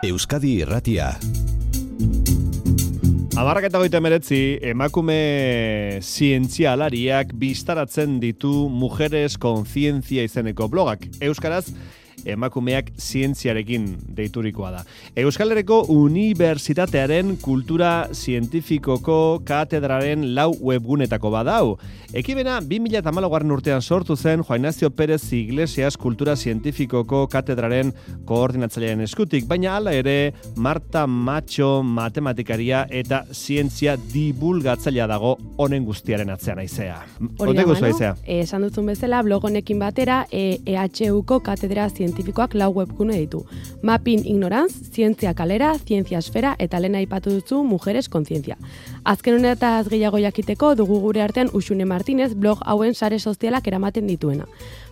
Euskadi Irratia. 19 emakume zientzialariak bistaratzen ditu Mujeres Conciencia izeneko blogak. Euskaraz, emakumeak zientziarekin deiturikoa da. Euskal Herriko Unibertsitatearen Kultura Zientifikoko Katedraren 4 webgunetako badau. Ekimena 2014 urtean sortu zen Juan Ignacio Pérez Iglesias Kultura Zientifikoko Katedraren koordinatzailearen eskutik, baina hala ere Marta Macho matematikaria eta zientzia divulgatzailea dago honen guztiaren atzean aizea. Ote guzu aizea? Esan duzun bezala, blog honekin batera EHUko Katedra Zientifikoak 4 webgune ditu. Mapping Ignorance, Zientzia Kalera, Zientzia Esfera eta lehen aipatu duzu Mujeres Conciencia. Azken honetaz gehiago jakiteko dugu gure artean Uxune Martínez blog hauen sare sozialak eramaten dituena.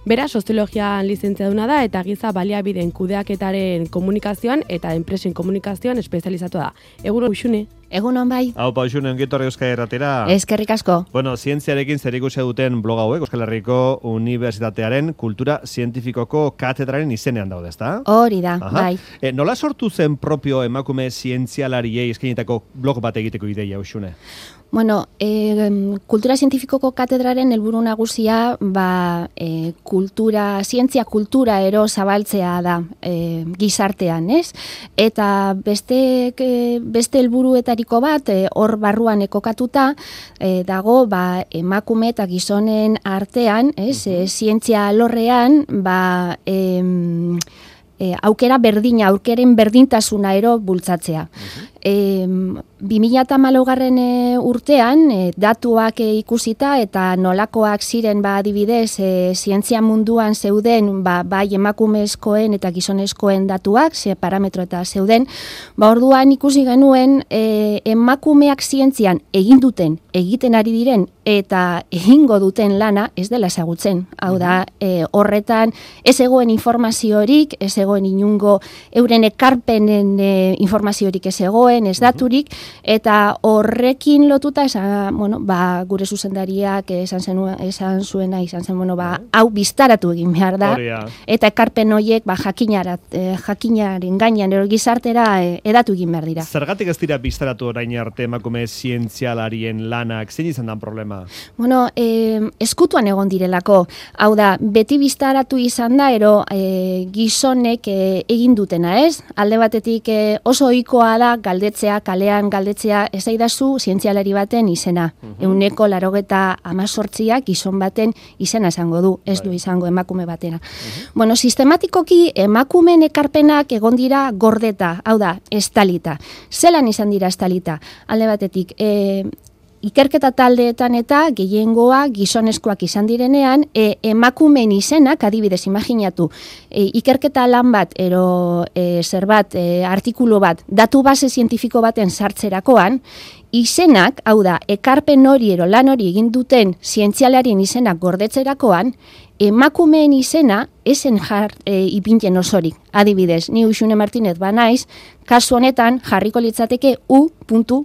Bera, soziologian lizentziaduna da eta giza baliabideen kudeaketaren komunikazioan eta enpresen komunikazioan espezializatu da. Egun Uxune. Egunon bai. Aupa Uxune, ongitorri Euskadi Irratira. Eskerrik asko. Bueno, zientziarekin zerikusia duten blog hauek Euskal Herriko Unibertsitatearen Kultura Zientifikoko Katedraren izenean daude, ezta? Hori da, bai. Nola sortu zen propio emakume zientzialariei eskainitako blog bat egiteko ideia, Uxune? Bueno, Kultura Zientifikoko Katedraren helburu nagusia zientzia kultura ero zabaltzea da gizartean, ez? Eta beste helburuetariko bat hor barruan ekokatuta dago emakume eta gizonen artean, ez? Zientzia alorrean aukera berdina, aukeren berdintasuna ero bultzatzea. 2014 urtean datuak ikusita eta nolakoak ziren adibidez zientzia munduan zeuden bai emakumezkoen eta gizonezkoen datuak, ze parametro eta zeuden, orduan ikusi genuen emakumeak zientzian egiten ari diren eta egingo duten lana ez dela ezagutzen. Hau da, horretan ez egoen informaziorik, ez egoen inungo euren ekarpenen informaziorik ez egoen, ez daturik, eta horrekin lotuta gure zuzendariak esan zen, hau biztaratu egin behar da, eta ekarpen horiek jakinaren gainean gizartera edatu egin behar dira. Zergatik ez dira biztaratu orain arte emakume zientzialarien lanak, zein izan dan problema? Bueno, eskutuan egon direlako, hau da, beti biztaratu izan da, gizonek egin dutena, ez? Alde batetik oso ohikoa da galdetzea, kalean galdetzea, ez daidazu zientzialari baten izena. 198 gizon baten izena esango du, ez du izango emakume batena. Bueno, sistematikoki emakumeen ekarpenak egon dira gordeta, hau da, estalita. Zelan izan dira estalita? Alde batetik, ikerketa taldeetan eta gehiengoa gizonezkoak izan direnean, emakumeen izenak, adibidez, imaginatu, ikerketa lan bat, artikulu bat, datu base zientifiko baten sartzerakoan, izenak, hau da, ekarpen hori lan hori egin duten zientzialarien izenak gordetzerakoan, emakumeen izena esen ipintzen osorik. Adibidez, ni Uxune Martínez banaiz, kasu honetan jarriko litzateke U.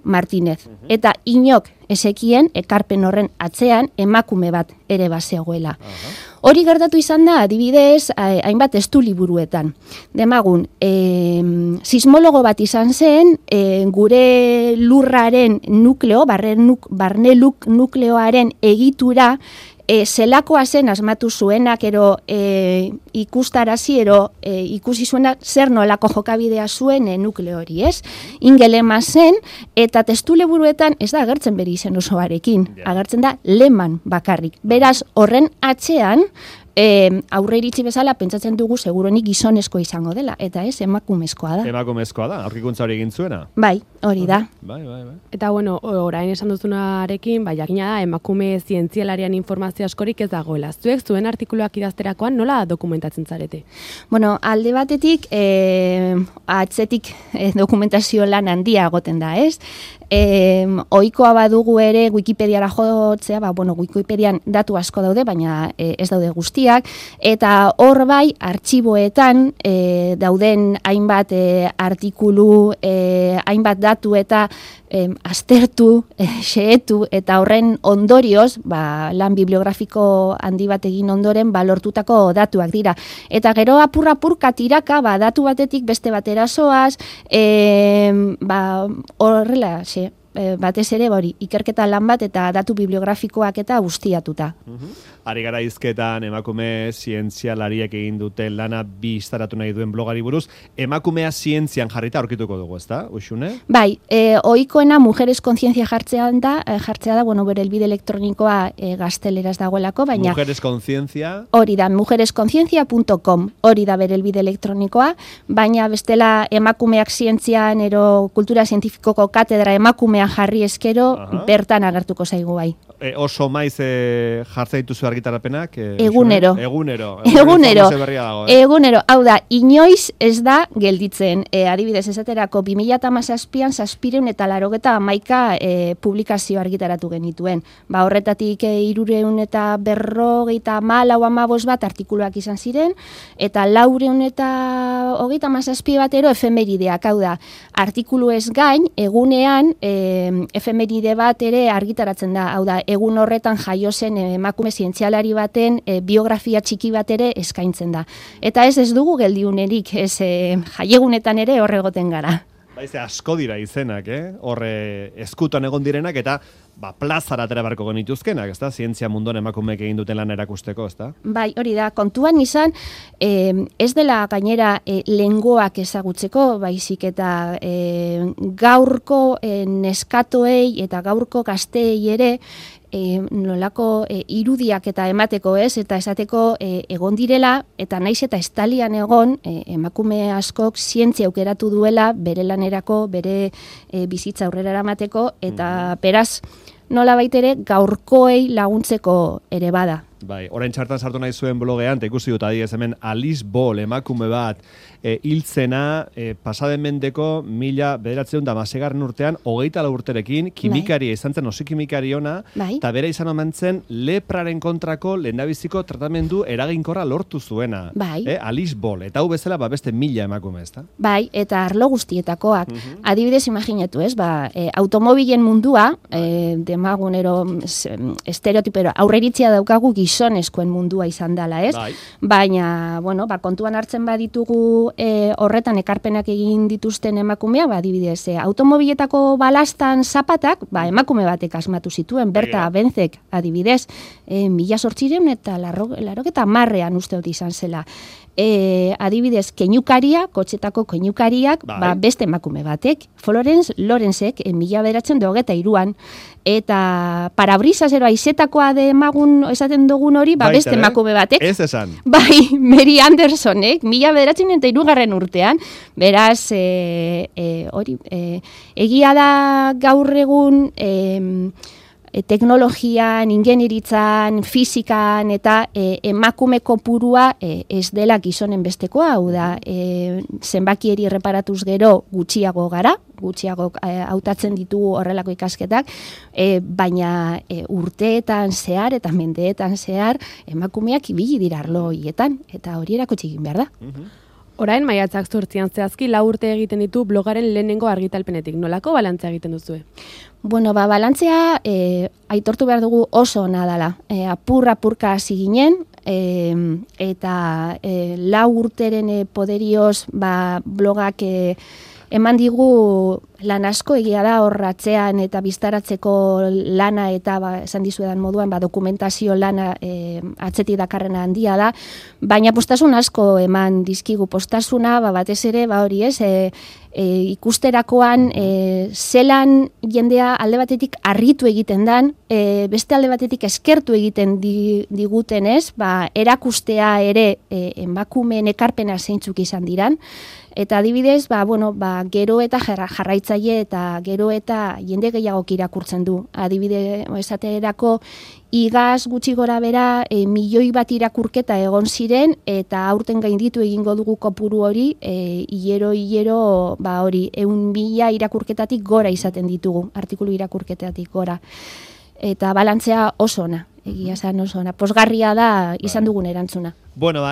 Martínez. Eta inok ezekien ekarpen horren atzean emakume bat ere bazegoela. Hori gertatu izan da, adibidez, hainbat estu liburuetan. Demagun, sismologo bat izan zen, gure lurraren nukleo, barne nukleoaren egitura, zelakoa zen asmatu zuenak ikustarazi ikusi zuena zer nolako jokabidea zuen nukleo hori, ez? Ingelema zen eta testu liburuetan ez da agertzen bere izen osoarekin, agertzen da Lehmann bakarrik. Beraz, horren atzean aurre iritsi bezala pentsatzen dugu seguronik gizonezko izango dela, eta ez emakumezkoa da. Emakumezkoa da, aurkikuntza hori egin zuena? Bai, hori da. Bai. Eta orain esan duzunarekin, jakina da, emakume zientzialarian informazio askorik ez dagoela. Zuek zuen artikuluak idazterakoan nola dokumentatzen zarete? Bueno, alde batetik, atzetik dokumentazio lan handia egoten da, ez? Ohikoa badugu ere Wikipediara jotzea, Wikipedian datu asko daude, baina ez daude guztiak, eta hor bai, artxiboetan dauden hainbat artikulu, hainbat datu eta aztertu, xehetu, eta horren ondorioz, lan bibliografiko handi bat egin ondoren, lortutako datuak dira. Eta gero apur-apurka tiraka, datu batetik beste batera zoaz, horrela, batez ere, ikerketa lan bat eta datu bibliografikoak eta guztiatuta. Ari gara hizketan emakume zientzialariek egin duten lana bi istaratu nahi duen blogari buruz, emakumea zientzian jarrita aurkituko dugu, ezta? Uxune? Bai, ohikoena Mujeres Conciencia jartzea da, bere helbide elektronikoa gazteleraz dagoelako, baina... Mujeres Conciencia? Hori da, mujeresconciencia.com, hori da bere helbide elektronikoa, baina bestela emakumeak zientzian ero kultura zientifikoko katedra emakumean jarri eskero, bertan agertuko zaigu bai. Oso maiz jartza dituzu argitarapenak? Egunero. Egunero. Hau da, inoiz ez da gelditzen. Adibidez, esaterako 2017an 781 publikazio argitaratu genituen. Horretatik 354 bat artikuluak izan ziren, eta 437 bat ero efemerideak. Hau da, artikulu ez gain, egunean efemeride bat ere argitaratzen da. Hau da, egun horretan jaio zen emakume zientzialari baten biografia txiki bat ere eskaintzen da. Eta ez dugu geldiunerik, jaiegunetan ere horre egoten gara. Baize asko dira izenak, horre eskutan egon direnak eta plazara atera beharko genituzkenak, ezta? Zientzia munduan emakumeek egin duten lan erakusteko, ezta? Bai, hori da, kontuan izan, ez dela gainera lengoak ezagutzeko, baizik eta gaurko neskatoei eta gaurko gazteei ere nolako irudiak eta emateko, eta esateko egon direla, eta naiz eta estalian egon emakume askok zientzia aukeratu duela bere lanerako, bere bizitza aurrera eramateko, eta beraz nola baitere gaurkoei laguntzeko ere bada. Bai, orain txartan sartu nahi zuen blogean, ikusi dut adiez hemen Alice Ball emakume bat hiltzena pasaden mendeko 1911 urtean 24 urterekin kimikaria izan zen, oso kimikari ona, eta bera izan omen zen lepraren kontrako lehendabiziko tratamendu eraginkorra lortu zuena. Alice Ball, eta hau bezala beste 1000 emakume, ezta? Bai, eta arlo guztietakoak. Adibidez, imaginatu, automobilen mundua, demagunero estereotipero aurreritzia daukagu gizonezkoen mundua izan dela, ez? Baina, kontuan hartzen baditugu horretan ekarpenak egin dituzten emakumeak, adibidez, automobiletako balastan zapatak, emakume batek asmatu zituen, Berta Benzek, adibidez, 1800 eta 90ean uste dut izan zela. Adibidez, keinukaria, kotxetako keinukariak, beste emakume batek, Florence Lorenzek, 1923an, eta parabrisas aizetakoa demagun esaten dugun hori, beste emakume batek. Ez esan. Bai, Mary Andersonek, 1923 urtean, beraz, egia da gaur egun teknologian, ingenieritzan, fizikan eta emakume kopurua ez dela gizonen bestekoa, hau da, zenbakieri erreparatuz gero gutxiago gara, gutxiago hautatzen ditugu horrelako ikasketak, baina urteetan zehar eta mendeetan zehar emakumeak ibili dira arlo horietan, eta hori erakutsi egin behar da. Orain, maiatzak 8 zehazki 4 urte egiten ditu blogaren lehenengo argitalpenetik. Nolako balantzea egiten duzue? Balantzea aitortu behar dugu oso ona dela. Apurka hasi ginen, eta 4 urteren poderioz blogak eman digu lan asko, egia da hor atzean eta biztaratzeko lana eta esan dizuedan moduan dokumentazio lana atzetik dakarrena handia da, baina postasun asko eman dizkigu. Postasuna batez ere hori ez, ikusterakoan zelan jendea alde batetik harritu egiten dan, beste alde batetik eskertu egiten diguten ez, erakustea ere emakumeen ekarpena zeintzuk izan diran, eta adibidez, gero eta jarraitzen jarraitzaile eta gero eta jende gehiagok irakurtzen du. Adibide esaterako igaz gutxi gora bera milioi bat irakurketa egon ziren eta aurten gainditu egingo dugu kopuru hori hilero hori 100.000 irakurketatik gora izaten ditugu, artikulu irakurketatik gora. Eta balantzea oso ona, egia esan oso ona. Posgarria da izan dugun erantzuna. Bueno,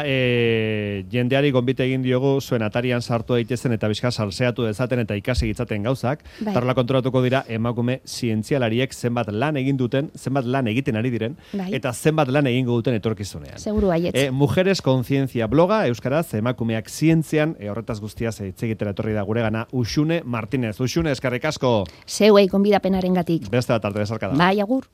jendeari gonbite egin diogu zuen atarian sartu daitezen eta bizka salseatu dezaten eta ikasi gitzaten gauzak. Tarla kontrolatuko dira emakume zientzialariek zenbat lan egin duten, zenbat lan egiten ari diren, eta zenbat lan egingo duten etorkizunean. Seguru baietz. Mujeres Conciencia bloga, euskaraz, emakumeak zientzian, horretaz guztiaz hitz egitera etorri da guregana, Uxune Martinez. Uxune, eskerrik asko. Zeuei gonbidapenarengatik. Beste bat arte bezarka da. Bai, agur.